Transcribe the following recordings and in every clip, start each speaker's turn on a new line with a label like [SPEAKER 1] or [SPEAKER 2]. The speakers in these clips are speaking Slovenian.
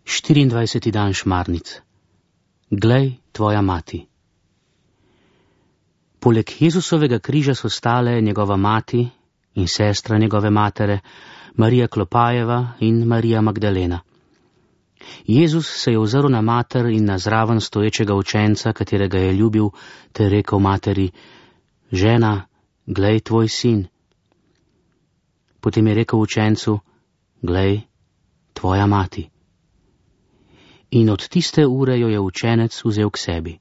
[SPEAKER 1] 24. dan šmarnic. Glej, tvoja mati. Poleg Jezusovega križa so stale njegova mati in sestra njegove matere, Marija Klopajeva in Marija Magdalena. Jezus se je ozrl na mater in na zraven stoječega učenca, katerega je ljubil, ter rekel materi: Žena, glej tvoj sin. Potem je rekel učencu: Glej, tvoja mati. In od tiste ure jo je učenec vzel k sebi.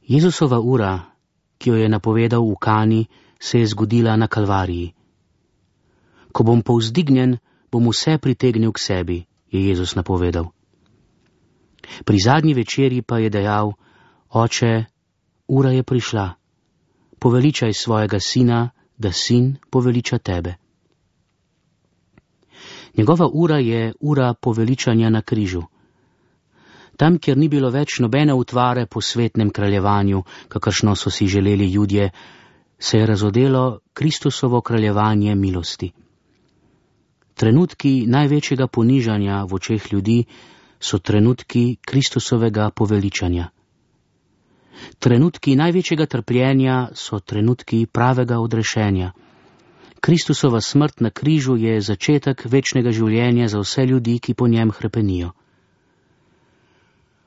[SPEAKER 1] Jezusova ura, ki jo je napovedal v Kani, se je zgodila na Kalvariji. Ko bom povzdignjen, bom vse pritegnil k sebi, je Jezus napovedal. Pri zadnji večerji pa je dejal: Oče, ura je prišla, poveličaj svojega sina, da sin poveliča tebe. Njegova ura je ura poveličanja na križu. Tam, kjer ni bilo več nobene utvare po svetnem kraljevanju, kakršno so si želeli Judje, se je razodelo Kristusovo kraljevanje milosti. Trenutki največjega ponižanja v očeh ljudi so trenutki Kristusovega poveličanja. Trenutki največjega trpljenja so trenutki pravega odrešenja. Kristusova smrt na križu je začetek večnega življenja za vse ljudi, ki po njem hrepenijo.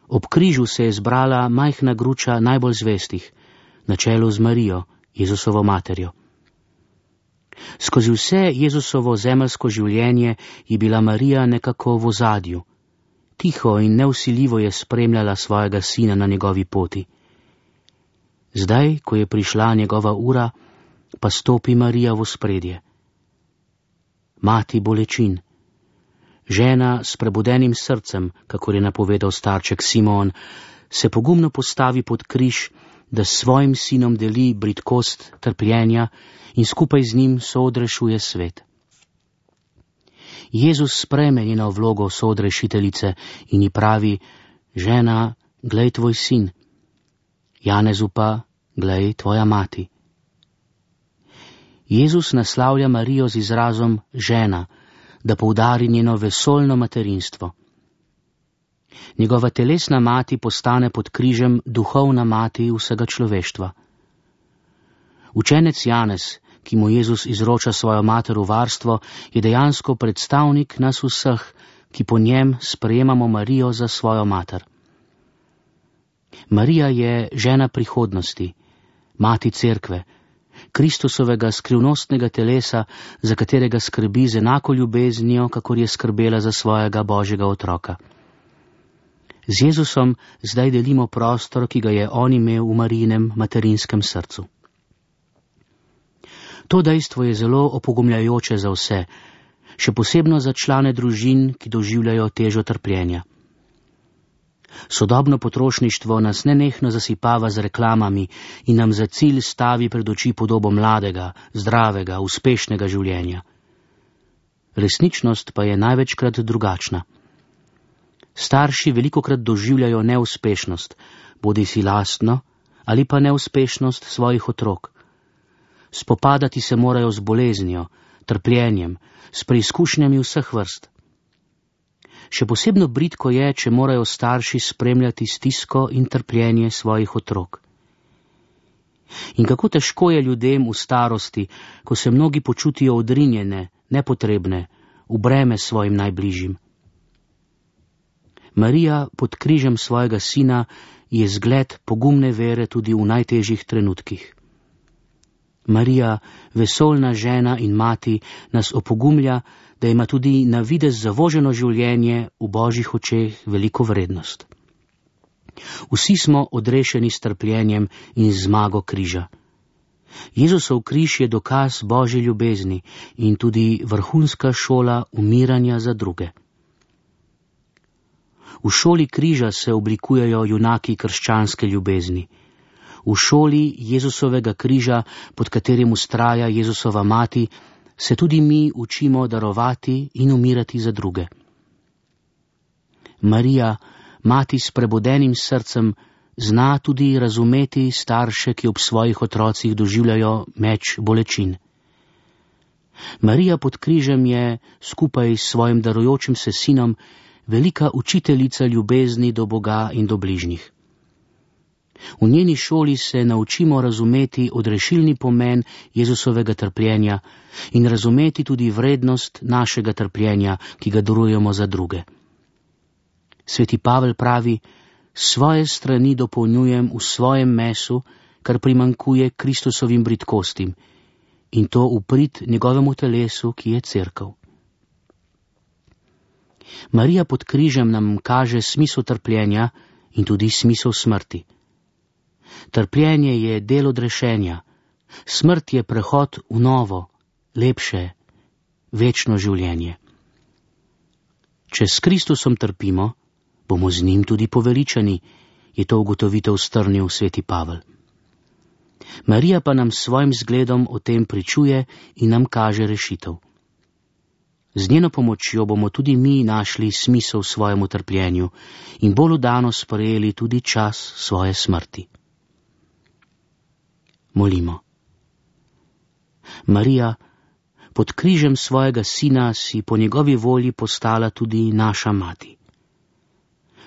[SPEAKER 1] Ob križu se je zbrala majhna gruča najbolj zvestih, na čelu z Marijo, Jezusovo materjo. Skozi vse Jezusovo zemeljsko življenje je bila Marija nekako v ozadju. Tiho in nevsiljivo je spremljala svojega sina na njegovi poti. Zdaj, ko je prišla njegova ura, pa stopi Marija v ospredje. Mati bolečin, žena s prebudenim srcem, kakor je napovedal starček Simon, se pogumno postavi pod križ, da s svojim sinom deli bridkost trpljenja in skupaj z njim soodrešuje svet. Jezus sprejme njeno vlogo soodrešiteljice in ji pravi: Žena, glej tvoj sin. Janezu pa: Glej tvoja mati. Jezus naslavlja Marijo z izrazom žena, da poudari njeno vesoljno materinstvo. Njegova telesna mati postane pod križem duhovna mati vsega človeštva. Učenec Janez, ki mu Jezus izroča svojo mater v varstvo, je dejansko predstavnik nas vseh, ki po njem sprejemamo Marijo za svojo mater. Marija je žena prihodnosti, mati cerkve, Kristusovega skrivnostnega telesa, za katerega skrbi z enako ljubeznijo, kakor je skrbela za svojega Božjega otroka. Z Jezusom zdaj delimo prostor, ki ga je on imel v Marijinem materinskem srcu. To dejstvo je zelo opogumljajoče za vse, še posebno za člane družin, ki doživljajo težo trpljenja. Sodobno potrošništvo nas nenehno zasipava z reklamami in nam za cilj stavi pred oči podobo mladega, zdravega, uspešnega življenja. Resničnost pa je največkrat drugačna. Starši velikokrat doživljajo neuspešnost, bodisi lastno ali pa neuspešnost svojih otrok. Spopadati se morajo z boleznijo, trpljenjem, s preizkušnjami vseh vrst. Še posebno bridko je, če morajo starši spremljati stisko in trpljenje svojih otrok. In kako težko je ljudem v starosti, ko se mnogi počutijo odrinjene, nepotrebne, v breme svojim najbližjim. Marija pod križem svojega sina je zgled pogumne vere tudi v najtežjih trenutkih. Marija, vesoljna žena in mati, nas opogumlja, da ima tudi na videz zavoženo življenje v Božjih očeh veliko vrednost. Vsi smo odrešeni s trpljenjem in zmago križa. Jezusov križ je dokaz Božje ljubezni in tudi vrhunska šola umiranja za druge. V šoli križa se oblikujejo junaki krščanske ljubezni. V šoli Jezusovega križa, pod katerim vztraja Jezusova mati, se tudi mi učimo darovati in umirati za druge. Marija, mati s prebudenim srcem, zna tudi razumeti starše, ki ob svojih otrocih doživljajo meč bolečin. Marija pod križem je, skupaj s svojim darujočim se sinom, velika učiteljica ljubezni do Boga in do bližnjih. V njeni šoli se naučimo razumeti odrešilni pomen Jezusovega trpljenja in razumeti tudi vrednost našega trpljenja, ki ga darujemo za druge. Sveti Pavel pravi, svoje strani dopolnjujem v svojem mesu, kar primankuje Kristusovim bridkostim, in to v prid njegovemu telesu, ki je cerkev. Marija pod križem nam kaže smisel trpljenja in tudi smisel smrti. Trpljenje je del odrešenja, smrt je prehod v novo, lepše, večno življenje. Če s Kristusom trpimo, bomo z njim tudi poveličani, je to ugotovitev strnil sveti Pavel. Marija pa nam s svojim zgledom o tem pričuje in nam kaže rešitev. Z njeno pomočjo bomo tudi mi našli smisel svojemu trpljenju in bolj vdano sprejeli tudi čas svoje smrti. Molimo. Marija, pod križem svojega sina si po njegovi volji postala tudi naša mati.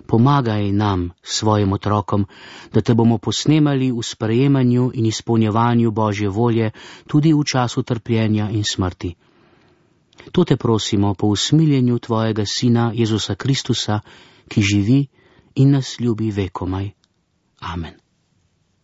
[SPEAKER 1] Pomagaj nam, svojim otrokom, da te bomo posnemali v sprejemanju in izpolnjevanju Božje volje tudi v času trpljenja in smrti. To te prosimo po usmiljenju tvojega sina Jezusa Kristusa, ki živi in nas ljubi vekomaj. Amen.